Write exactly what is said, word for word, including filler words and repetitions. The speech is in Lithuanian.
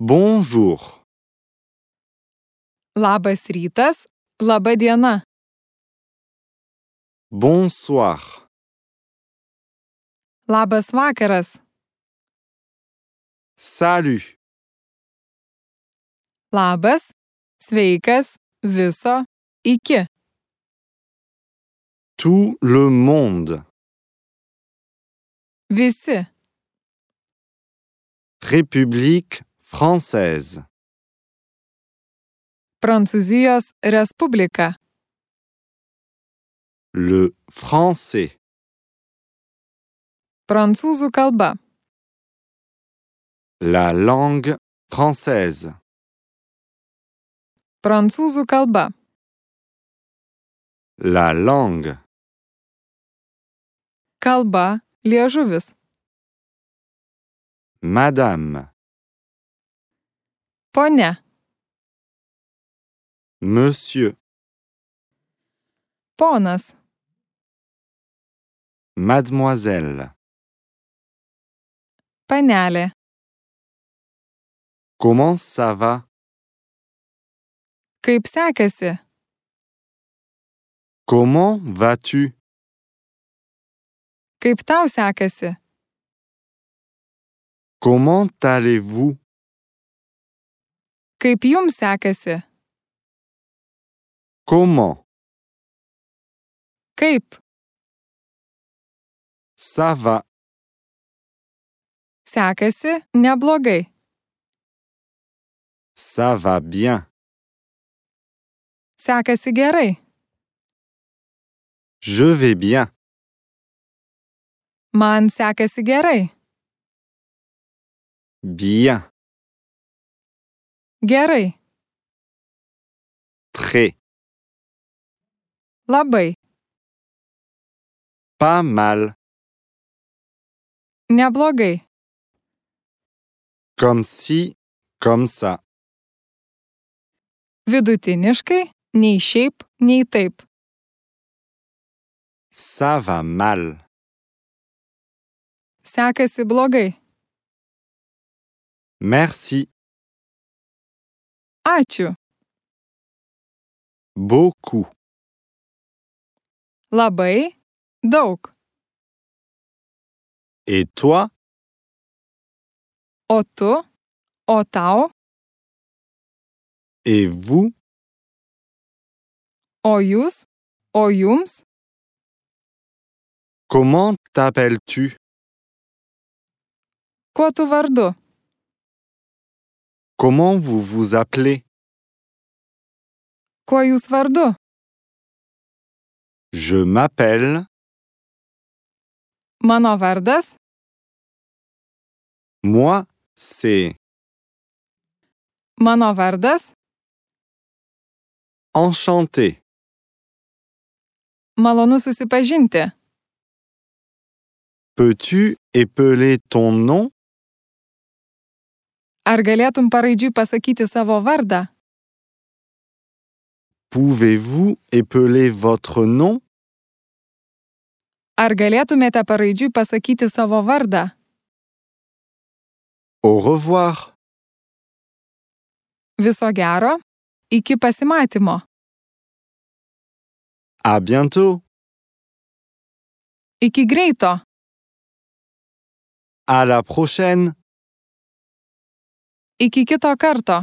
Bonjour. Labas rytas, laba diena. Bonsoir. Labas vakaras. Salut. Labas, sveikas, viso, iki. Tout le monde. Visi. République française. Prancūzijos Respublika. Le français. Prancūzų kalba. La langue française. Prancūzų kalba. La langue. Kalba, liežuvis. Madame. Ponia. Monsieur. Ponas. Mademoiselle. Panelė. Comment ça va? Kaip sekasi? Comment vas-tu? Kaip tau sekasi? Comment allez-vous? Kaip jums sekasi? Comment? Kaip? Ça va. Sekasi neblogai. Ça va bien. Sekasi gerai. Je vais bien. Man sekasi gerai. Bien. Gerai. Très. Labai. Pas mal. Neblogai. Comme si, comme ça. Vidutiniškai, nei šiaip, nei taip. Ça va mal. Sekasi blogai. Merci. Ačiū. Beaucoup. Labai. Daug. Et toi? O tu? O tau? Et vous? O jūs? O jums? Comment t'appelles-tu? Kuo tu vardu? Comment vous vous appelez? Kuo jūs vardu? Je m'appelle. Mano vardas? Moi, c'est Mano vardas? enchanté. Malonu susipažinti. Peux-tu épeler ton nom? Ar galėtum paraidžiui pasakyti savo vardą? Pouvez-vous épeler votre nom? Ar galėtumėte paraidžiui pasakyti savo vardą? Au revoir. Viso gero. Iki pasimatymo. À bientôt. Iki greito. À la prochaine. Iki kito karto.